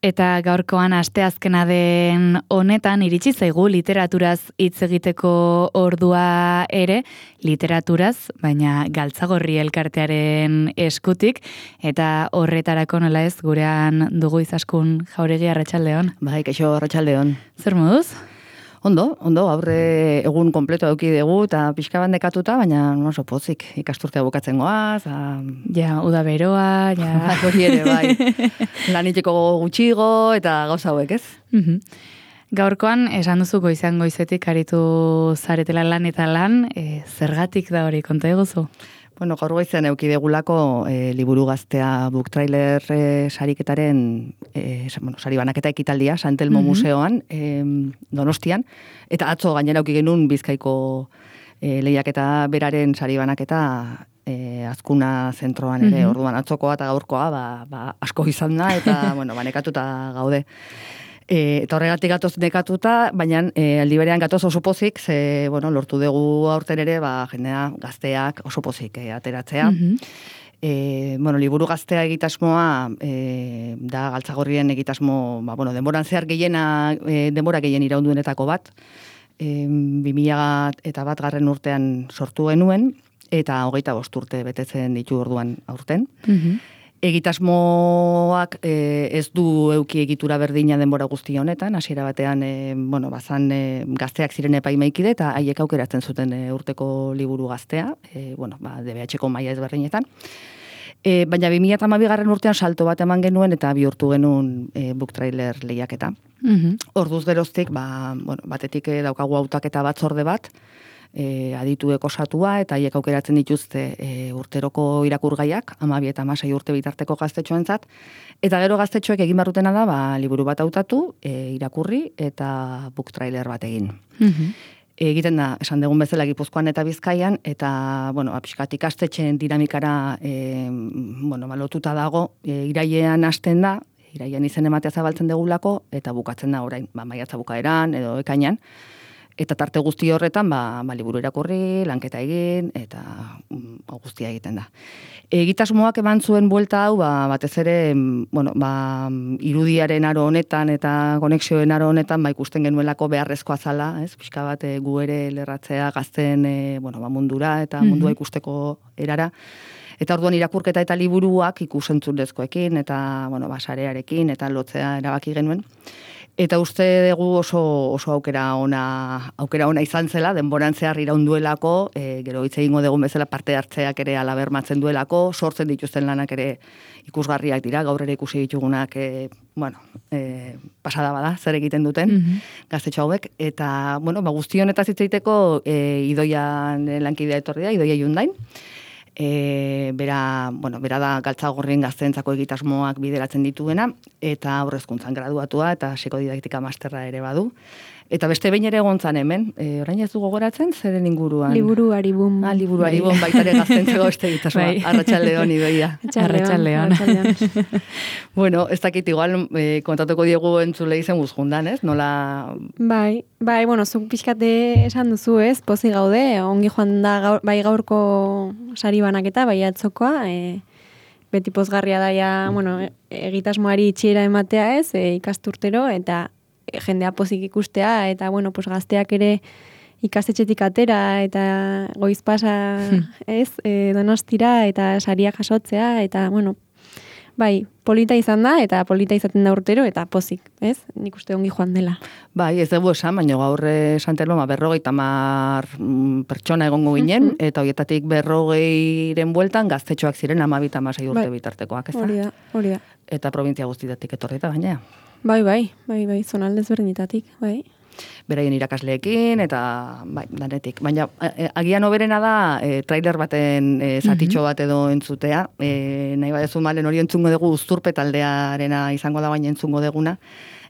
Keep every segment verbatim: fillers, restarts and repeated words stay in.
Eta gaurkoan asteazkena den honetan iritsi zaigu literaturaz hitz egiteko ordua ere, literaturaz, baina Galtzagorri elkartearen eskutik, eta horretarako nola ez gurean dugu Izaskun Jauregi, arratsaldeon. Bai, kaixo, arratsaldeon. Zer moduz? Ondo, ondo, aurre egun kompleto eduki dugu eta pixka bat nekatuta, baina oso pozik ikasturtea bukatzen goaz. A... Ja, uda beroa, ja. Hori ere, bai. Laniteko gutxigo eta gauza hauek, ez? Mhm. Gaurkoan, esan duzu goizean goizetik aritu zaretela lan eta lan, e, zergatik da hori, konta eguzu? Bueno, gaur goizean eduki degulako e, liburu gaztea book trailer e, sariketaren, e, bueno, sari banaketa ekitaldia, Santelmo mm-hmm. museoan, e, Donostian, eta atzo gainera eduki genuen Bizkaiko e, lehiaketa beraren sari banaketa e, Azkuna zentroan ere, mm-hmm. orduan atzokoa eta gaurkoa ba, ba, asko izan da, eta bueno, banekatuta gaude. E, eta horregatik gatoz nekatuta, baina e, aldi berean gatoz oso pozik, ze, bueno, lortu dugu aurten ere, ba, jendea gazteak oso pozik e, ateratzea. Mm-hmm. E, bueno, liburu gaztea egitasmoa e, da Galtzagorrien egitasmo, ba, bueno, denboran zehar gehiena, e, denbora gehien iraunduenetako bat, e, bi mila eta bat garren urtean sortu genuen, eta hogeita bost urte betetzen ditu orduan aurten. Mm-hmm. Egitasmoak e, ez du euki egitura berdina denbora guzti honetan, hasiera batean e, bueno, bazan e, gazteak ziren epaimaikide eta haiek aukeratzen zuten e, urteko liburu gaztea, e, bueno, ba, D B H-ko maila ezberdinetan. E, baina bi mila hamabigarren urtean salto bat eman genuen eta bihurtu genuen e, book trailer lehiaketa. Mm-hmm. Orduz geroztik, ba, bueno, batetik e, daukagu hautaketa batzorde bat, E, adituek osatua eta haiek aukeratzen dituzte e, urteroko irakurgaiak, hamabi eta hamasei urte bitarteko gaztetxoentzat, eta gero gaztetxoek egin barrutena da, ba, liburu bat hautatu, e, irakurri eta book trailer bat egin. Mm-hmm. Egiten da, esan dugun bezala Gipuzkoan eta Bizkaian, eta, bueno, apiskat ikastetxeen dinamikara e, bueno, lotuta dago, e, irailean hasten da, irailean izen ematea zabaltzen degulako, eta bukatzen da orain, ba, maiatza bukaeran edo ekainan, eta tarte guzti horretan, ba, ba liburu irakurri, lanketa egin, eta um, guztia egiten da. Egitasmoak eman zuen buelta hau, ba, batez ere, bueno, ba, irudiaren aro honetan eta konexioen aro honetan, ba, ikusten genuelako beharrezkoa zala, ez? Pixka bat e, gu ere lerratzea gazten e, bueno, ba, mundura eta mm-hmm. mundua ikusteko erara. Eta orduan irakurketa eta liburuak ikusentzunezkoekin eta, bueno, ba, sarearekin eta lotzea erabaki genuen. Eta uste dugu oso, oso aukera ona, aukera ona izan zela, denboran zehar iraunduelako, e, gero hitz egingo dugun bezala parte hartzeak ere ala bermatzen duelako, sortzen dituzten lanak ere ikusgarriak dira, gaur ere ikusi ditugunak, e, bueno, e, pasada bada, zer egiten duten, mm-hmm. gaztetxo hauek, eta, bueno, ba, guzti honetaz hitz egiteko e, Idoian lankidea etorri da, Idoia Iundain, E, bera, bueno, bera da Galtzagorrien gazteentzako egitasmoak bideratzen dituena, eta aurrezkuntzan graduatua eta psikodidaktika masterra ere badu. Eta beste behin ere egontzan hemen, e, orain ez du gogoratzen, zeren inguruan? Liburu Aribun. Ah, liburu Aribun, baitare gazteentzako beste egitasmoa. Bai. Arratsaldeon, Idoia. Arratsaldeon. Bueno, ez dakit igual e, kontatuko diegu entzule izen guzkundan, ez? Nola... Bai, bai, bueno, zuk pixkate esan duzu, ez? Pozi gaude, ongi joan da gaur, bai gaurko sari banaketa, bai atzokoa, e, beti pozgarria daia, bueno, egitasmoari itxiera ematea, ez? E, ikasturtero, eta jendea pozik ikustea, eta, bueno, pues gazteak ere ikastetxetik atera, eta goiz pasa, ez, e, Donostira, eta saria jasotzea, eta, bueno, bai, polita izan da, eta polita izaten da urtero, eta pozik, ez? Nik uste ongi joan dela. Bai, ez dugu esan, baina gaur Santelmo, ba, berrogeita mar pertsona egongo ginen, eta horietatik berrogeiren bueltan gaztetxoak ziren amabita amasei urte bai. Bitartekoak, ez da? Hori da, hori da. Eta provintzia guztitatik etorrita gainea. Bai, bai, bai, bai, zonaldez berdinetatik, bai. Beraien irakasleekin, eta, bai, danetik. Baina, agian oberena da, e, trailer baten e, zatitxo bat edo entzutea. E, nahi badezu malen hori entzungo dugu Uzturpe taldearena izango da baina entzungo deguna.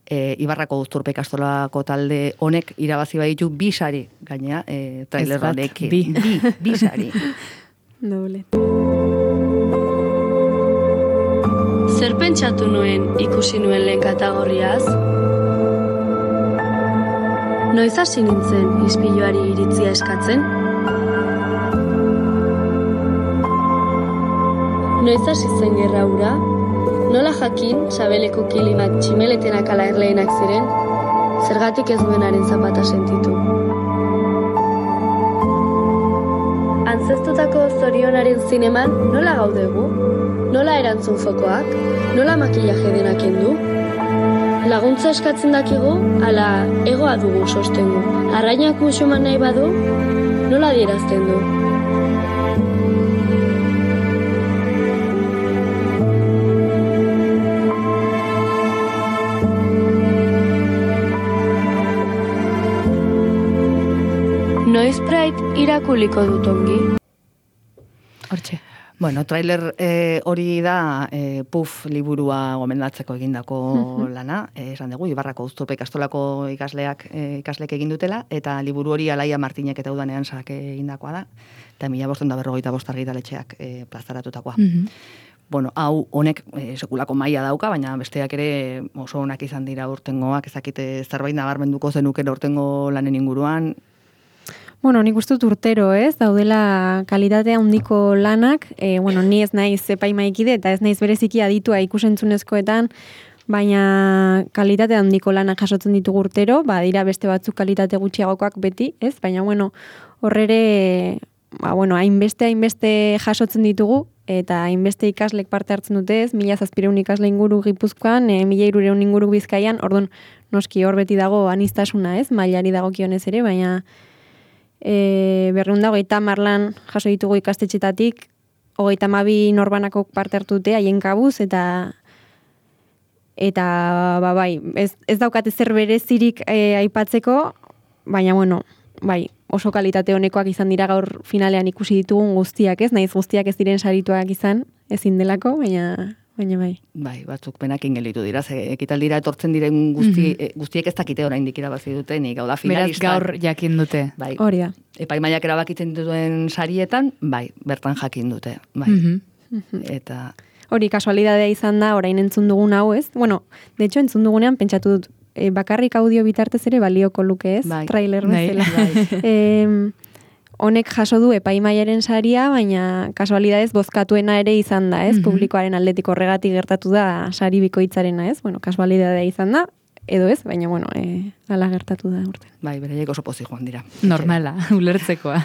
E, Ibarrako Uzturpe ikastolako talde honek irabazi baditu bi sari, gainea, e, trailer batekin. Bi, bi, bi sari. Doble. Zer pentsatu nuen ikusi nuen lehen kategoriaz? Noiz hasi nintzen ispiluari iritzia eskatzen? Noiz hasi zen gerra hura? Nola jakin, sabeleko kilimak tximeletenak ala erleenak ziren, zergatik ez duenaren zapata sentitu. Antzeztutako zorionaren zineman nola gaudegu? Nola erantzun fokoak? Nola makillaje denak kendu? Laguntza eskatzen dakigu, ala egoa dugu sostengu. Arrainak musuman nahi badu, nola adierazten du? Noiz Pride irakuliko dut ongi? Hortxe. Bueno, trailer eh, hori da eh, Puff liburua gomendatzeko egindako lana, eh, esan dugu, Ibarrako Uztupe ikastolako ikasleak eh, ikaslek egin dutela, eta liburu hori Alaia Martinek eta udanean sak egindakoa da, eta mila bostehun eta berrogeita bost argitaletxeak eh, plazaratutakoa. Mhm. Bueno, hau honek eh, sekulako maila dauka, baina besteak ere oso onak izan dira urtengoak, ezakite zerbait nabarmenduko zenuken urtengo lanen inguruan. Bueno, nik uste dut urtero, ez? Daudela kalitatea handiko lanak, e, bueno, ni ez naiz epaimaikide eta ez naiz bereziki aditua ikusentzunezkoetan, baina kalitatea handiko lanak jasotzen ditugu urtero, ba, dira beste batzuk kalitate gutxiagokoak beti, ez? Baina, bueno, horrere, ba, bueno, hainbeste, hainbeste jasotzen ditugu, eta hainbeste ikaslek parte hartzen dute, ez? Mila zazpireun ikasle inguru Gipuzkoan, e, mila irureun inguru Bizkaian, orduan, noski hor beti dago anistasuna, ez? Mailari dagokionez ere, baina E, berreun da, hogeita marlan jaso ditugu ikastetxetatik, hogeita mabi norbanako parte hartu dute, haien kabuz, eta eta, ba, bai, ez, ez daukate zer berezirik e, aipatzeko, baina, bueno, bai, oso kalitate honekoak izan dira gaur finalean ikusi ditugun guztiak, ez? Naiz guztiak ez diren sarituak izan, ezin delako, baina... Baina bai. Bai, batzuk penakin gelitu dira, ze ekitaldira etortzen diren guzti, mm-hmm. guztiek ez dakite oraindik irabazi duten, hau da finalista. Beraz gaur jakin dute. Bai. Hori da. Epaimaiak erabakitzen duten sarietan, bai, bertan jakin dute. Bai. Mm-hmm. Eta... Hori, kasualidadea izan da, orain entzun dugun hau, ez? Bueno, de hecho, entzun dugunean pentsatu dut, e, bakarrik audio bitartez ere balioko luke, ez? Bai. Trailer Bai. bezala. Bai. e, honek jaso du epaimaiaren saria, baina kasualidadez bozkatuena ere izan da, ez? Mhm. Publikoaren aldetik horregatik gertatu da sari bikoitzarena, ez? Bueno, kasualidadea izan da, edo ez, baina, bueno, e, ala gertatu da urte. Bai, beraiek oso pozik joan dira. Normala, ulertzekoa.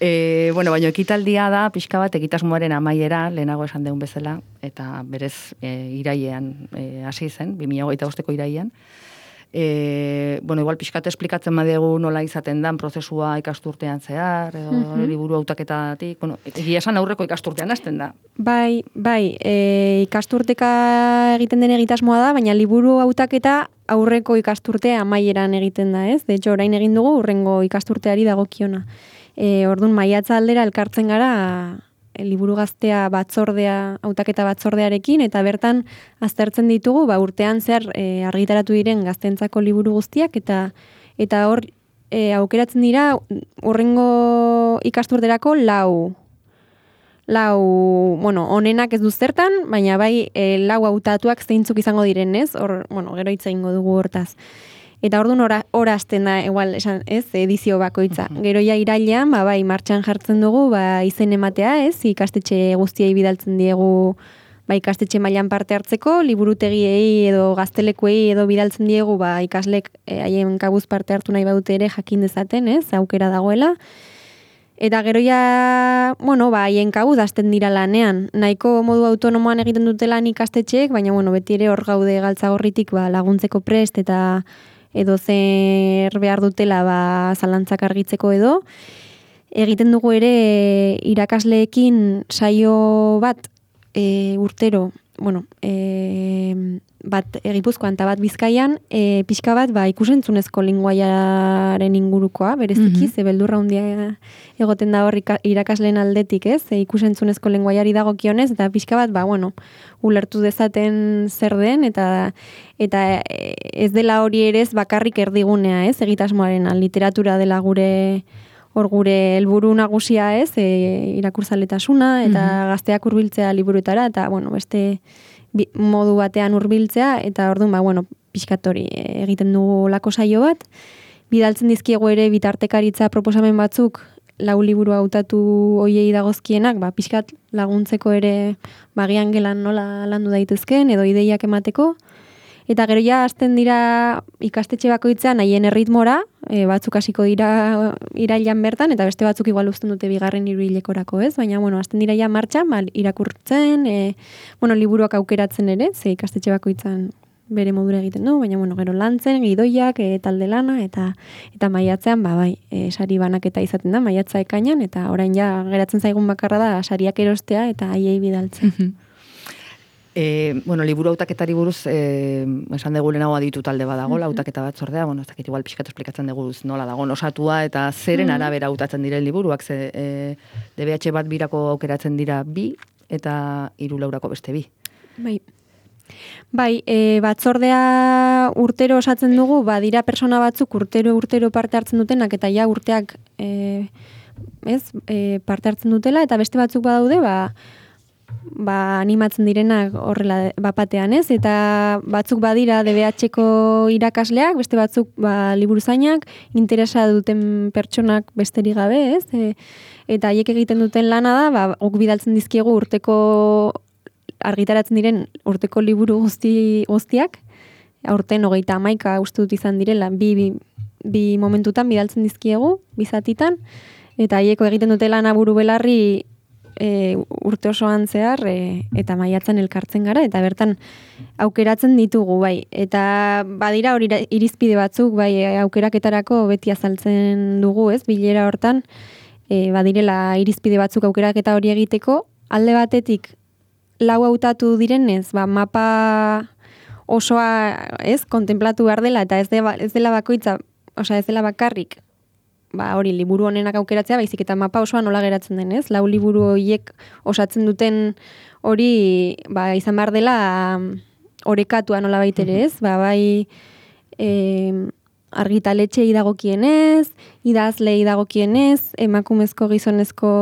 e, bueno, baina ekitaldia da, pixka bat, egitasmoaren amaiera, lehenago esan deun bezala, eta berez e, irailean e, hasi zen, bi mila hogeita bosteko irailean. E, bueno, igual pixkate esplikatzen badegu nola izaten dan prozesua ikasturtean zehar, edo Mhm. liburu hautaketatik, bueno, egia esan aurreko ikasturtean hasten da. Bai, bai, e, ikasturteka egiten den egitasmoa da, baina liburu hautaketa aurreko ikasturtea amaieran egiten da, ez? De hecho, orain egin dugu urrengo ikasturteari dagokiona. E, ordun maiatza aldera elkartzen gara e, liburu gaztea batzordea, hautaketa batzordearekin, eta bertan aztertzen ditugu, ba, urtean zehar e, argitaratu diren gaztentzako liburu guztiak, eta eta hor e, aukeratzen dira urrengo ikasturterako lau lau, bueno, onenak ez du zertan, baina bai e, lau hautatuak zeintzuk izango direnez, hor, bueno, gero hitz egingo dugu hortaz. Eta orduan ora, ora azten da, igual, esan, ez, edizio bakoitza. Gero ja irailean, ba, bai, martxan jartzen dugu, ba, izen ematea, ez, ikastetxe guztiei bidaltzen diegu, ba, ikastetxe mailan parte hartzeko, liburutegiei edo gaztelekuei edo bidaltzen diegu, ba, ikaslek e, haien kabuz parte hartu nahi badute ere jakin dezaten, ez, aukera dagoela. Eta gero ja, bueno, ba, haien kabuz hasten dira lanean. Nahiko modu autonomoan egiten dute lan ikastetxeek, baina, bueno, beti ere hor gaude galtzagorritik, ba, laguntzeko prest eta edo zer behar dutela ba, zalantzak argitzeko edo. Egiten dugu ere irakasleekin saio bat e, urtero, bueno, e, bat Gipuzkoan eta bat Bizkaian, e, pixka bat ba, ikusentzunezko linguaiaren ingurukoa, bereziki, mm-hmm. ze beldurra handia egoten da hor irakasleen aldetik, ez? E, ikusentzunezko linguaiari dagokionez, eta pixka bat, ba, bueno, ulertu dezaten zer den, eta eta ez dela hori ere ez bakarrik erdigunea, ez? Egitasmoarena, literatura dela gure hor gure helburu nagusia, ez? E, irakurzaletasuna eta mm-hmm. gazteak hurbiltzea liburuetara, eta bueno, beste bi, modu batean hurbiltzea, eta orduan, ba, bueno, pixkat hori egiten dugu lako saio bat. Bidaltzen dizkiegu ere bitartekaritza proposamen batzuk lau liburu hautatu hoiei dagozkienak, ba, pixkat laguntzeko ere bagian gelan nola landu daitezken, edo ideiak emateko. Eta gero ja hasten dira ikastetxe bakoitzean haien erritmora, e, batzuk hasiko dira irailan bertan, eta beste batzuk igual uzten dute bigarren hiruhilekorako, ez? Baina, bueno, hasten dira ja martxan, ba, irakurtzen, e, bueno, liburuak aukeratzen ere, ze ikastetxe bakoitzan bere modura egiten du, baina, bueno, gero lantzen, gidoiak, e, talde lana, eta eta maiatzean, ba, bai, e, sari banaketa izaten da, maiatza ekainan, eta orain ja geratzen zaigun bakarra da sariak erostea, eta haiei bidaltzen. E, bueno, liburu hautaketari buruz, e, esan dugu lehenago aditu talde badago, hautaketa bat zordea, bueno, ez dakit igual pixkatu esplikatzen dugu nola dago, osatua eta zeren arabera hautatzen diren liburuak, ze e, D B H bat birako aukeratzen dira bi, eta hiru laurako beste bi. Bai. Bai, e, batzordea urtero osatzen dugu, badira persona batzuk urtero urtero parte hartzen dutenak, eta ja urteak e, ez, e, parte hartzen dutela, eta beste batzuk badaude, ba, ba, animatzen direnak horrela bapatean, ez? Eta batzuk badira D B H-ko irakasleak, beste batzuk ba, liburuzainak, interesa duten pertsonak besterik gabe, ez? E, eta haiek egiten duten lana da, ba, guk bidaltzen dizkiegu urteko argitaratzen diren urteko liburu guzti guztiak, aurten hogeita hamaika uste dut izan direla, bi, bi, bi momentutan bidaltzen dizkiegu, bizatitan, eta haieko egiten dute lana buru belarri E, urte osoan zehar e, eta maiatzen elkartzen gara, eta bertan aukeratzen ditugu, bai. Eta badira hori irizpide batzuk, bai, aukeraketarako beti azaltzen dugu, ez, bilera hortan, e, badirela irizpide batzuk aukeraketa hori egiteko, alde batetik lau hautatu direnez, ba, mapa osoa, ez, kontemplatu behar dela, eta ez, de, ez dela bakoitza, osea, ez dela bakarrik, ba, hori, liburu honenak aukeratzea, baizik eta mapa osoa nola geratzen den, ez? Lau liburu horiek osatzen duten hori, ba, izan behar dela orekatua nola baitere, ez? Ba, bai, e, argitaletxei dagokienez, idazlei dagokienez, emakumezko gizonezko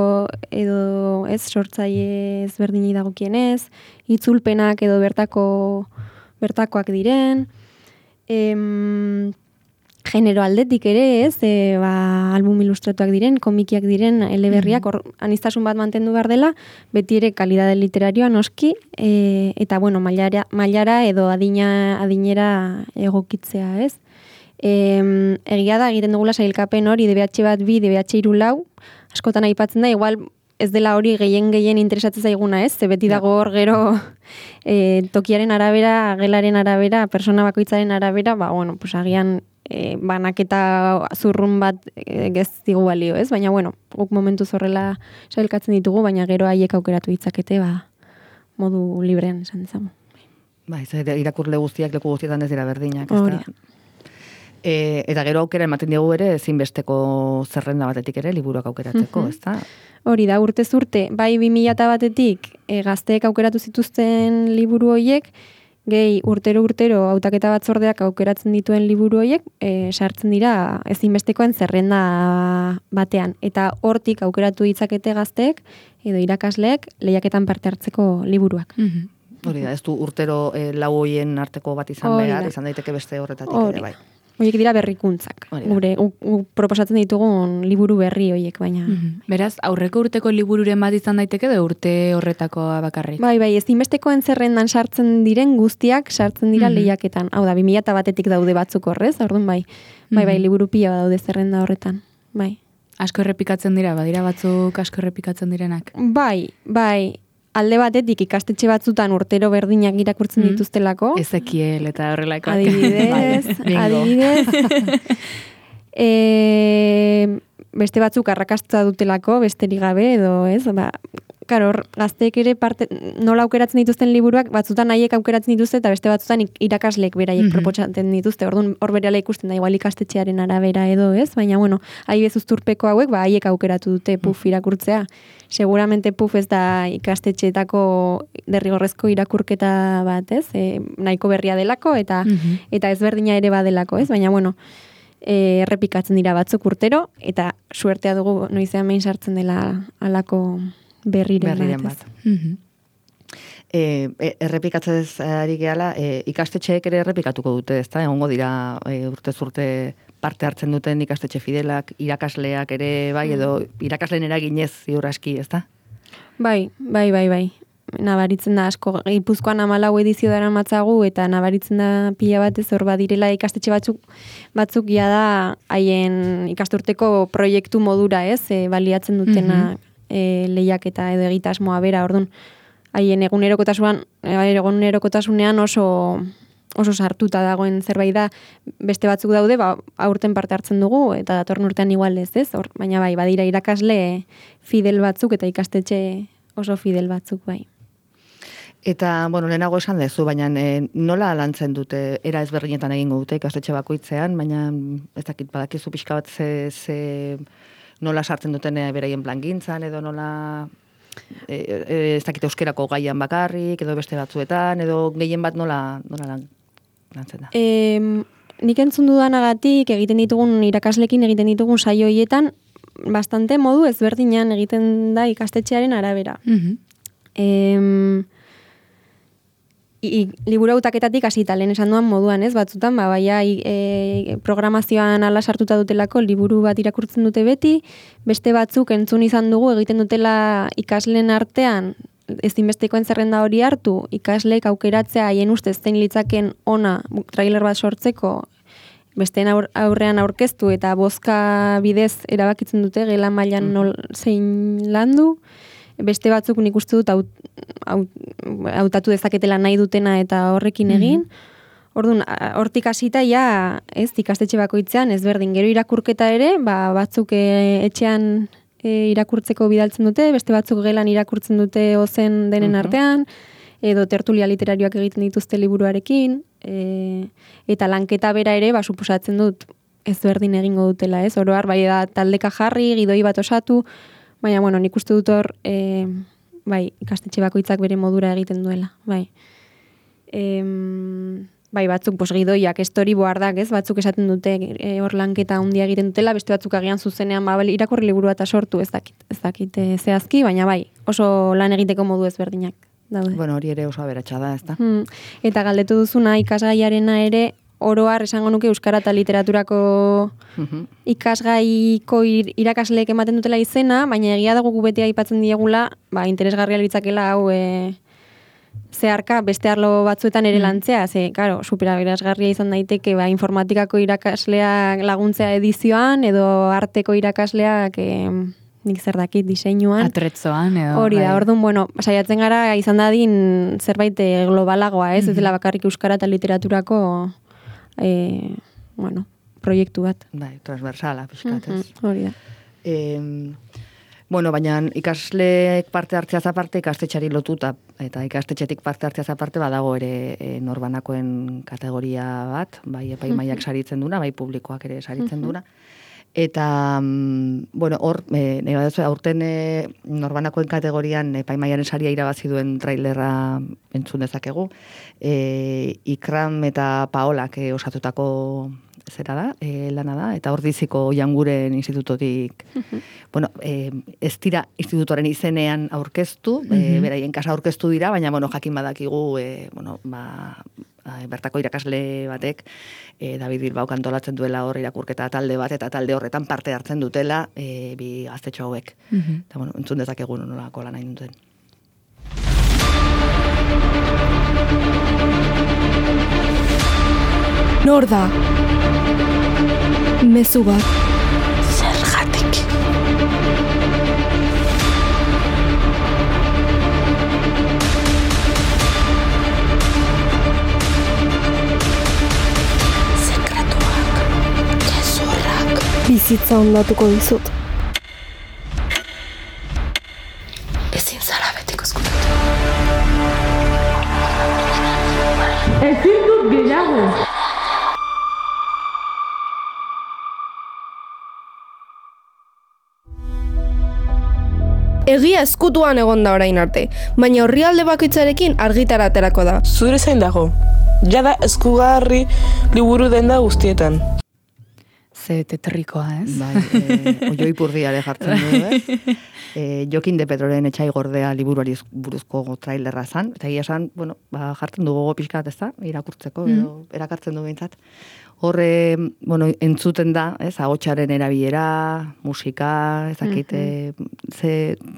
edo, ez, sortzaile ezberdinei dagokienez, itzulpenak edo bertako bertakoak diren, em, genero aldetik ere, ez, e, ba, album ilustratuak diren, komikiak diren, eleberriak, hor, aniztasun bat mantendu behar dela, beti ere kalidade literarioa noski, e, eta, bueno, mailara, mailara edo adina, adinera egokitzea, ez. E, egia da, egiten dugula sailkapen hori, D B H bat bi, D B H hiru lau, askotan aipatzen da, igual, ez dela hori gehien-gehien interesatzen zaiguna, ez? Ze beti dago hor gero e, tokiaren arabera, gelaren arabera, persona bakoitzaren arabera, ba, bueno, pues agian E, banaketa zurrun bat e, gez digu balio, ez? Baina, bueno, guk momentuz horrela sailkatzen ditugu, baina gero haiek aukeratu ditzakete, ba, modu librean esan dezagun. Ba, ez, irakurle guztiak, leku guztietan ez dira berdinak, ez da? E, eta gero aukera ematen diegu ere, ezinbesteko zerrenda batetik ere, liburuak aukeratzeko, ez da? Hori da, urtez urte, bai bi mila batetik e, gazteek aukeratu zituzten liburu horiek, gehi urtero urtero hautaketa batzordeak aukeratzen dituen liburu horiek e, sartzen dira ezinbestekoen zerrenda batean. Eta hortik aukeratu ditzakete gazteek edo irakasleek lehiaketan parte hartzeko liburuak. Mm-hmm. Hori da, ez du urtero e, lau hoien arteko bat izan Hori behar, da. izan daiteke beste horretatik Hori. ere, bai. Horiek dira berrikuntzak. Gure, u, u, proposatzen ditugun liburu berri horiek, baina... Mm-hmm. Beraz, aurreko urteko libururen bat izan daiteke da urte horretakoa bakarrik. Bai, bai, ezinbestekoen zerrendan sartzen diren guztiak sartzen dira mm-hmm. lehiaketan. Hau da, bi mila batetik daude batzuk horrez, orduan bai. Bai, bai, liburu pila daude zerrenda horretan. Bai. Asko errepikatzen dira, badira batzuk asko errepikatzen direnak. Bai, bai. Alde batetik ikastetxe batzutan urtero berdinak irakurtzen mm. dituztelako. Ezekiel eta horrelako. Adibidez, adibidez. e, beste batzuk arrakasta dutelako, besterik gabe edo, ez? Ba, karo, gazteek ere parte, nola aukeratzen dituzten liburuak, batzutan haiek aukeratzen dituzte eta beste batzutan irakasleek beraiek mm-hmm. proposatzen dituzte. Orduan hor berehala ikusten da igual ikastetxearen arabera edo, ez? Baina bueno, adibidez uzturpeko hauek, ba haiek aukeratu dute puf irakurtzea. Seguramente puf ez da ikastetxeetako derrigorrezko irakurketa bat, ez? E, nahiko berria delako eta mm-hmm. eta ezberdina ere badelako, ez? Baina bueno, e, errepikatzen dira batzuk urtero eta suertea dugu noizean behin sartzen dela halako berriren, berriren bat. bat. Mm-hmm. E, errepikatzez ari gehala, e, ikastetxeek ere errepikatuko dute, ezta? Egongo dira e, urtez urte parte hartzen duten ikastetxe fidelak, irakasleak ere, bai, edo irakasleen eraginez ziur aski, ez da? Bai, bai, bai, bai. Nabaritzen da asko, Gipuzkoan hamalau edizio dara matzagu, eta nabaritzen da pila batez hor badirela ikastetxe batzuk, batzuk ja da haien ikasturteko proiektu modura, ez, e, baliatzen dutena mm-hmm. e, lehiaketa edo egitasmoa bera, orduan, haien egunerokotasunean, egunerokotasunean oso oso sartuta dagoen zerbait da, beste batzuk daude, ba, aurten parte hartzen dugu, eta datorren urtean igual ez, ez? Or, baina bai, badira irakasle fidel batzuk, eta ikastetxe oso fidel batzuk, bai. Eta, bueno, lehenago esan dezu, baina e, nola lantzen dute, era ezberdinetan egingo dute ikastetxe bakoitzean, baina ez dakit badakizu pixka bat ze, ze nola sartzen duten beraien plangintzan, edo nola e, e, ez dakit euskerako gaian bakarrik, edo beste batzuetan, edo gehien bat nola, nola lan, lantzen da. E, nik entzun dudanagatik egiten ditugun irakaslekin egiten ditugun saio hoietan bastante modu ezberdinan egiten da ikastetxearen arabera. Mm-hmm. E, I, liburu hautaketatik hasita lehen esan duan moduan, ez, batzutan, ba, baia e, programazioan ala sartuta dutelako liburu bat irakurtzen dute beti, beste batzuk entzun izan dugu egiten dutela ikasleen artean, ezinbestekoen zerrenda hori hartu, ikasleek aukeratzea haien ustez zein litzaken ona trailer bat sortzeko, besteen aurrean aurkeztu eta bozka bidez erabakitzen dute gela mailan nol zein landu, beste batzuk nik uste dut haut, haut, hautatu dezaketela nahi dutena eta horrekin egin. Mm-hmm. Orduan, hortik hasita ja, ez, ikastetxe bakoitzean, ezberdin, gero irakurketa ere, ba, batzuk e, etxean e, irakurtzeko bidaltzen dute, beste batzuk gelan irakurtzen dute ozen denen mm-hmm. artean, edo tertulia literarioak egiten dituzte liburuarekin, e, eta lanketa bera ere, ba, suposatzen dut, ezberdin egingo dutela, ez, oroar, bai da, taldeka jarri, gidoi bat osatu, baina, bueno, nik uste dut hor, e, bai, ikastetxe bakoitzak bere modura egiten duela, bai. E, bai, batzuk, pos, gidoiak, storyboardak, ez, batzuk esaten dute e, hor lanketa handia egiten dutela, beste batzuk agian zuzenean, ba, irakurri liburua eta sortu, ez dakit, ez dakit e, zehazki, baina bai, oso lan egiteko modu ezberdinak daude. Bueno, hori ere oso aberatsa da, ez da? Hmm. Eta galdetu duzuna, ikasgaiarena ere, oroar esango nuke euskara eta literaturako uh-huh. ikasgaiko irakasleek ematen dutela izena, baina egia dago gu beti aipatzen diegula, ba, interesgarria litzakela hau e, zeharka beste arlo batzuetan ere lantzea, ze, karo, superaberazgarria izan daiteke, ba, informatikako irakasleak laguntzea edizioan, edo arteko irakasleak e, nik zer dakit diseinuan. Atretzoan, edo. Hori da, orduan, bueno, saiatzen gara izan dadin zerbait globalagoa, ez, uh-huh. ez dela bakarrik euskara eta literaturako E, bueno, proiektu bat. Bai, transversala, pixkat, ez. Mm-hmm, hori da. E, bueno, baina ikasleek parte hartzeaz aparte, ikastetxari lotuta, eta ikastetxetik parte hartzeaz aparte, badago ere e, norbanakoen kategoria bat, bai epaimaiak saritzen duna, bai publikoak ere saritzen duna. Eta, bueno, hor, e, aurten e, norbanakoen kategorian epaimaiaren saria irabazi duen trailerra entzun dezakegu. E, Ikram eta Paolak e, osatutako zera da, e, lana da, eta Ordiziko Janguren institutotik, uh-huh. bueno, e, ez dira institutoren izenean aurkeztu, uh-huh. e, beraien kasa aurkeztu dira, baina, bueno, jakin badakigu, e, bueno, ba, bertako irakasle batek, e, David Bilbao kantolatzen duela hor irakurketa talde bat, eta talde horretan parte hartzen dutela e, bi gaztetxo hauek. Uh-huh. Eta, bueno, entzun dezakegu nolako lan nahi duten. Nor da? Mezu bat. Zergatik. Bizitza ondatuko dizut. Ezin zara betiko ezkutatu. Ezin dut gehiago. Egia ezkutuan egon da orain arte, baina orrialde bakoitzarekin argitara aterako da. Zure zain dago. Jada eskugarri liburu denda guztietan. Ze tetrikoa, ez? Bai, e, oioi purdiare jartzen du, ez? E, Jokin de Pedroren etxai gordea liburuari buruzko trailerra zan, eta egia esan, bueno, ba, jartzen du gogo pixkat, ez da, irakurtzeko, edo mm. erakartzen du behintzat. Horre, bueno, entzuten da, ez, ahotsaren erabilera, musika, ezakit, mm-hmm. e, ze,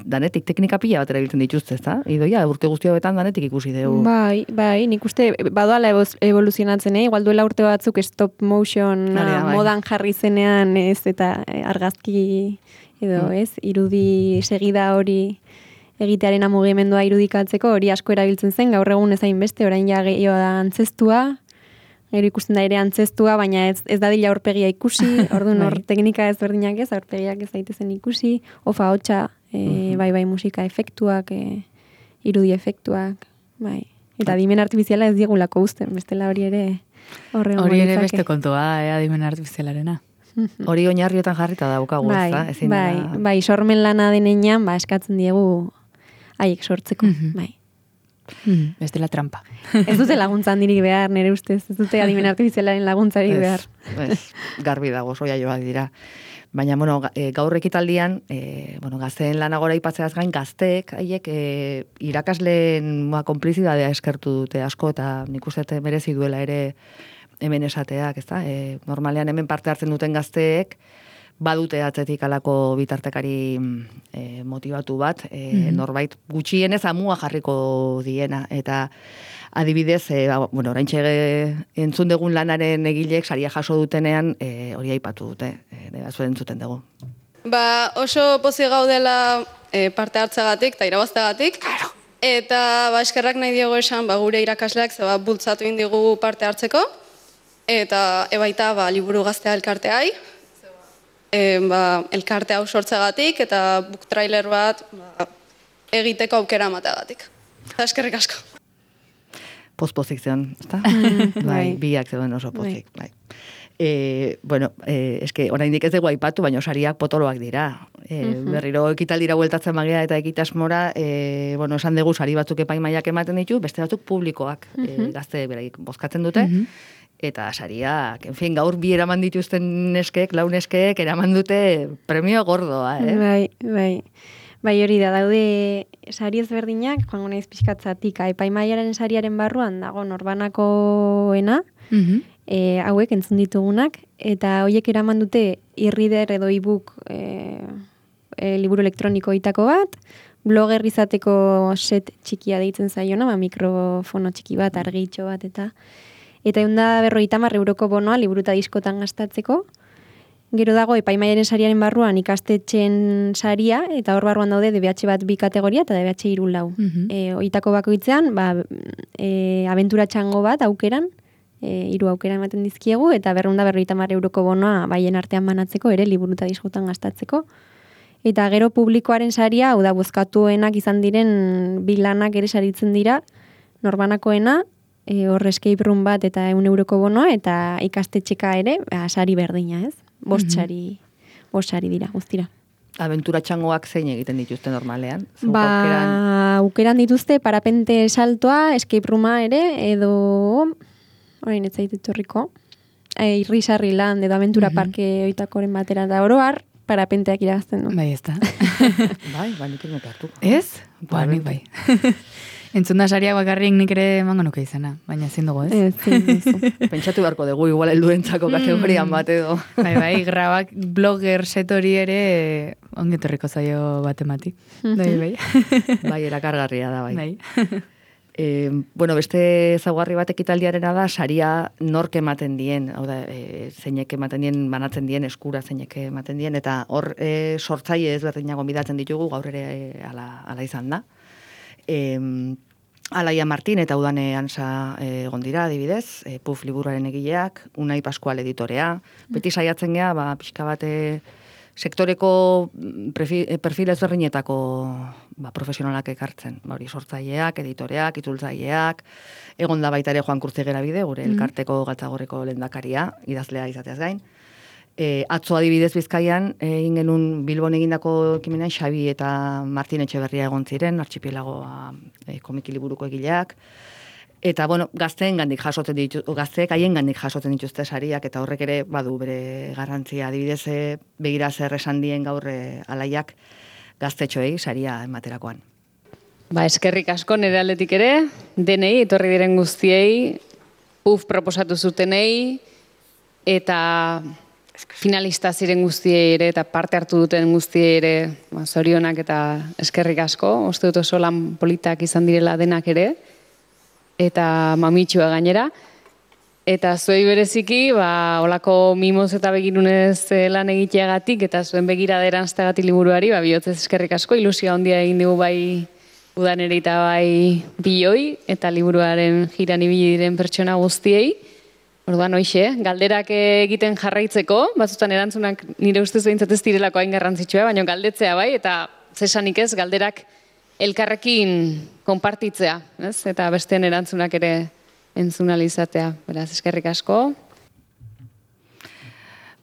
danetik, teknika pila bat erabiltzen dituzte, ez da? Idoia, urte guzti hauetan danetik ikusi dugu. Bai, bai, nik uste, badoala evoluzionatzen, eh? Igual duela urte batzuk stop motion Bai. modan jarri zenean, ez, eta argazki, edo, ez, irudi segida hori egitearen mugimendua irudikatzeko, hori asko erabiltzen zen, gaur egun ezain beste, orain ja gehiago da antzestua, gero ikusten da ere antzestua, baina ez, ez dadila aurpegia ikusi, orduan hor teknika ezberdinak ez, aurpegiak ez daitezen ikusi, ofa hotxa, e, uh-huh. bai bai musika efektuak, e, irudi efektuak, bai. Eta adimen artifiziala ez diegulako uzten, bestela hori ere horre hori ere beste kontua da, eh, adimen artifizialarena. Hori oinarriotan jarrita daukagu, bai, ez da? Ezin bai, da... bai, sormen lana denean, ba, eskatzen diegu haiek sortzeko, uh-huh. bai. Mm, ez dela trampa. Ez dute laguntza handirik behar, nire ustez. Ez dute adimen artifizialaren laguntzarik behar. Ez, garbi dago, soia joak dira. Baina, bueno, gaur ekitaldian, e, bueno, gazteen lanagora ipatzeaz gain, gazteek, haiek, e, irakasleen ba, konplizidadea eskertu dute asko, eta nik uste merezi duela ere hemen esateak, ez da? E, normalean hemen parte hartzen duten gazteek, badute atzetik alako bitartekari e, motivatu bat, e, mm-hmm. norbait gutxienez amua jarriko diena, eta adibidez, e, ba, bueno, oraintxe entzun dugun lanaren egileek saria jaso dutenean e, hori aipatu dute, e, dira zuen entzuten dugu. Ba, oso pozik gaudela e, parte hartzagatik eta irabazteagatik, claro. Eta ba, eskerrak nahi diogu esan ba, gure irakasleak zeba bultzatu indigu parte hartzeko, eta ebaita ba, liburu gaztea elkarteai, E, ba, elkarte hau sortzagatik eta book trailer bat ba, egiteko aukera amateagatik. Eskerrik asko. Poz-pozik zeon, ezta? Bai, biak zeuden oso pozik, bai. E, bueno, e, eske oraindik ez dugu aipatu, baina sariak potoloak dira. E, uh-huh. Berriro ekitaldira bueltatzen magea eta ekitasmora, e, bueno, esan dugu sari batzuk epaimaiak ematen ditu, beste batzuk publikoak, uh-huh. e, gazte beraik bozkatzen dute, uh-huh. eta sariak, en fin, gaur bi eraman dituzten neskek, lau neskek, eraman dute premio gordoa, eh? Bai, bai. Bai, hori da, daude sari ezberdinak, joango naiz pixkatzatik, epaimaiaren sariaren barruan dago norbanakoena, uh-huh. e, hauek entzun ditugunak, eta horiek eraman dute e-reader edo e-book e, e, liburu elektroniko itako bat, blogger izateko set txikia deitzen zaiona, ba, mikrofono txiki bat, argitxo bat, eta eta egun da berrogeita hamar euroko bonoa liburu eta diskotan gastatzeko. Gero dago epaimaiaren sariaren barruan ikastetxen saria, eta hor barruan daude D B H bat bi kategoria eta D B H hiru lau. Uh-huh. E, oitako bakoitzean, ba, e, abentura txango bat aukeran, e, hiru aukera ematen dizkiegu, eta berreunda berrogeita hamar euroko bonoa baien artean banatzeko, ere liburu eta diskotan gastatzeko. Eta gero publikoaren saria, hau da, bozkatuenak izan diren bilanak ere saritzen dira, norbanakoena, E, hor escape room bat eta eun euroko bonoa, eta ikastetxeka ere, ba, sari berdina, ez? Bost sari, mm-hmm. bost sari dira, guztira. Abentura txangoak zein egiten dituzte normalean? Zuk ba, aukeran... aukeran dituzte parapente saltoa, escape rooma ere, edo, orain ez zaitet horriko, e, irrisarri land, edo abentura mm-hmm. parke oitakoren batera da oroar, parapenteak iragazten du. Bai, ez da. bai, ba, nik ino hartu. Ez? Ba, nik bai. Entzun da sariak bakarrik nik ere emango nuke izena, baina ezin dugu, ez? Ez, pentsatu beharko dugu, igual helduentzako kategorian bat edo. Bai, bai, grabak blogger setori ere ongetorriko zaio bat emati. Bai, bai. Bai, erakargarria da, bai. Bai. E, bueno, beste ezaugarri bat ekitaldiarena da, saria nork ematen dien, hau da, e, zeinek ematen dien, banatzen dien, eskura zeinek ematen dien, eta hor e, sortzaile ezberdinak gonbidatzen ditugu, gaur ere e, ala, ala izan da. E, Alaia Martin eta Udane Ansa egon dira, adibidez, e, Puf liburuaren egileak, Unai Pascual editorea, beti saiatzen gea, ba, pixka bat sektoreko perfil ezberdinetako ba, profesionalak ekartzen. Ba, hori sortzaileak, editoreak, itzultzaileak, egon da baita ere Juan Kurtzigera bide, gure elkarteko Galtzagorreko lehendakaria, idazlea izateaz gain. E, atzo adibidez Bizkaian, egin genuen Bilbon egindako ekimenean Xabi eta Martin Etxeberria egon ziren, artxipielagoa e, komiki liburuko egileak. Eta, bueno, gazteen gandik jasotzen ditu, gazteek haien gandik jasotzen dituzte sariak, eta horrek ere badu bere garrantzia. Adibidez, begira zer esan dien gaur alaiak gaztetxoei saria ematerakoan. Ba, eskerrik asko nire aldetik ere, denei, etorri diren guztiei, puf proposatu zutenei, eta finalista ziren guztiei ere, eta parte hartu duten guztiei ere, ba, zorionak eta eskerrik asko, uste dut oso lan politak izan direla denak ere, eta mamitxua gainera. Eta zuei bereziki, ba, olako mimoz eta begirunez lan egiteagatik, eta zuen begirada eranzteagatik liburuari, ba, bihotzez eskerrik asko, ilusia handia egin dugu bai udan ere eta bai biloi, eta liburuaren jiran ibili diren pertsona guztiei. Orduan, hoixe, galderak egiten jarraitzeko, batzutan erantzunak nire ustez behintzat ez direlako hain garrantzitsua, baina galdetzea bai, eta zesanik ez, galderak elkarrekin konpartitzea, ez? Eta besteen erantzunak ere entzunalizatea. Beraz, eskerrik asko.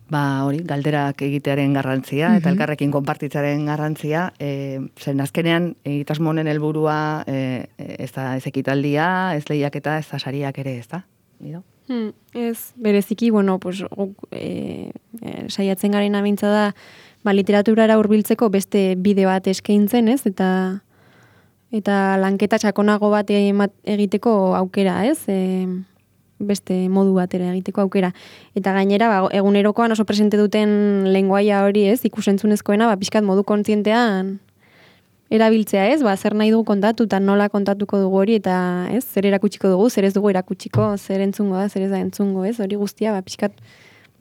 Ba, hori, galderak egitearen garrantzia, eta elkarrekin konpartitzaren garrantzia, e, zen azkenean, egitasmo honen helburua e, ez da ez ekitaldia, ez lehiaketa, ez da sariak ere, ez da? Nido? Hmm, ez, bereziki, bueno, pues, e, e, saiatzen garen abintza da, ba, literaturara hurbiltzeko beste bide bat eskaintzen, ez? Eta eta lanketa sakonago bat egiteko aukera, ez? E, beste modu batera egiteko aukera. Eta gainera, ba, egunerokoan oso presente duten lenguaia hori, ez? Ikusentzunezkoena, ba, pixkat modu kontzientean erabiltzea, ez? Ba, zer nahi dugu kontatu, eta nola kontatuko dugu hori, eta ez? Zer erakutsiko dugu, zer ez dugu erakutsiko, zer entzungo da, zer ez da entzungo, ez? Hori guztia, ba, pixkat,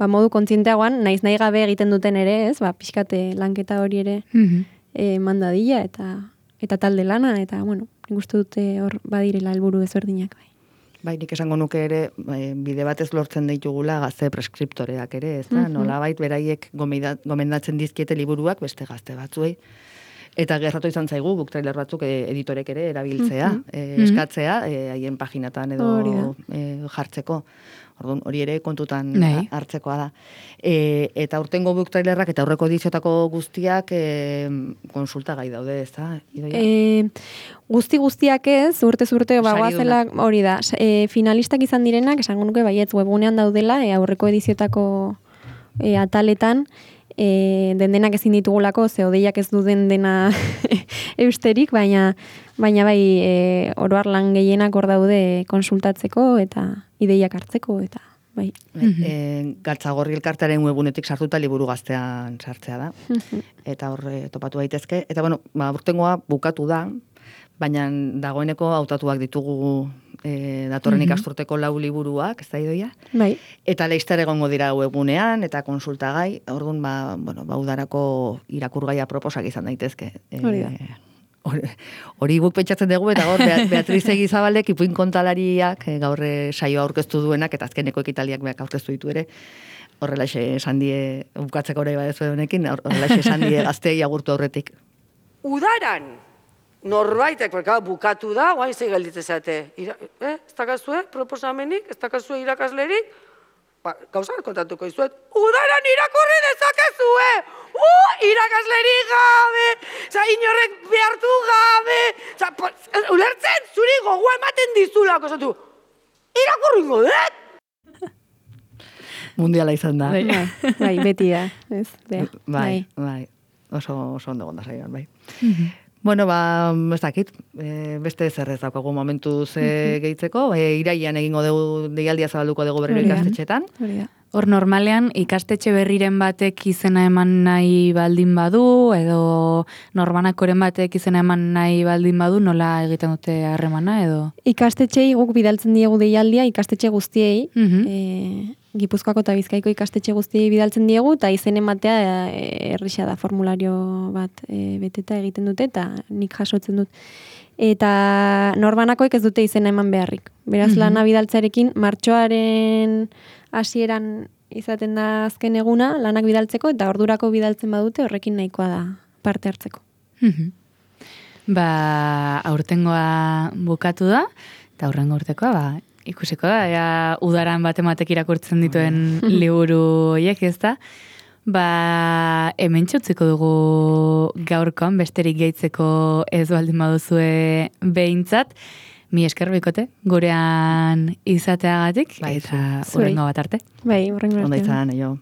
ba, modu kontzienteagoan, naiz nahi gabe egiten duten ere, ez? Ba, pixkat lanketa hori ere mm-hmm. e, mandadila, eta eta talde lana, eta, bueno, nik uste dute hor badirela helburu ezberdinak, bai. Bai, nik esango nuke ere, bide batez lortzen ditugula gazte preskriptoreak ere, ez da? Mm-hmm. Nolabait beraiek gomendatzen dizkiete liburuak beste gazte batzuei. Eta gerratu izan zaigu, book trailer batzuk editorek ere erabiltzea, mm-hmm. e, eskatzea, haien e, paginatan edo e, jartzeko. Orduan, hori ere kontutan Nei. hartzekoa da. E, eta urtengo book trailerrak eta aurreko ediziotako guztiak e, konsulta gai daude, ez da? E, guzti guztiak ez, urte urte bagoazela hori da. E, finalistak izan direnak, esango nuke baietz webgunean daudela, e, aurreko ediziotako e, ataletan, E, den denak ezin ditugulako, ze odeiak ez duden dena eusterik, baina baina bai e, oroar lan gehienak hor daude konsultatzeko eta ideiak hartzeko eta bai. Mm-hmm. E, Galtzagorri elkartearen webunetik sartuta liburu gaztean sartzea da. Eta hor e, topatu daitezke. Eta bueno, ba, urtengoa bukatu da, baina dagoeneko hautatuak ditugu e, datorren mm-hmm. ikasturteko lau liburuak, ez da idoia? Bai. Eta leizter egongo dira webunean, eta konsultagai, orduan, ba, bueno, ba, udarako irakurgaia proposak izan daitezke. Hori da. E, hori guk pentsatzen dugu, eta gaur Beatriz Egizabalek ipuin kontalariak e, gaur saioa aurkeztu duenak, eta azkeneko ekitaliak beak aurkeztu ditu ere, horrelaxe esan die, bukatzeko hori badezu honekin, horrelaxe esan die gaztei agurtu aurretik. Udaran! Norbaitek, berka, bukatu da, guain zei gelditzen zate. Eh? Ez dakazue proposamenik, ez dakazue irakaslerik, ba, gauza kontatuko izuet, udaran irakurri dezakezue! Uh, irakaslerik gabe! Za, inorrek behartu gabe! Za, po, ulertzen, zuri gogoa ematen dizulako, zatu, irakurri godet! Mundiala izan da. Bai, bai beti da. Ez, bai, bai, bai. Oso, oso ondo gonda zaioan, bai. Mm-hmm. Bueno, ba, ez dakit, e, beste zer ez daukagu momentuz e, gehitzeko, e, iraian egingo dugu, deialdia zabalduko dugu berriro ikastetxetan. Hor normalean ikastetxe berriren batek izena eman nahi baldin badu, edo norbanakoren batek izena eman nahi baldin badu, nola egiten dute harremana, edo? Ikastetxei guk bidaltzen diegu deialdia, ikastetxe guztiei, mm-hmm. e, Gipuzkoako eta Bizkaiko ikastetxe guztiei bidaltzen diegu, eta izen ematea errisa da, formulario bat e, beteta egiten dute, eta nik jasotzen dut. Eta norbanakoek ez dute izena eman beharrik. Beraz, mm-hmm. lana bidaltzarekin, martxoaren hasieran izaten da azken eguna, lanak bidaltzeko, eta ordurako bidaltzen badute, horrekin nahikoa da parte hartzeko. Mm-hmm. Ba, aurtengoa bukatu da, eta aurrengo urtekoa, ba, ikusiko da, ea udaran batematek irakurtzen dituen liburu horiek, ez da? Ba, hemen txutziko dugu gaurkoan, besterik gehitzeko ez baldin baduzue behintzat, Mi esker bikote, gurean izateagatik, Bai, eta zuri. hurrengo bat arte. Bai, hurrengo Ondo arte. izan, jo.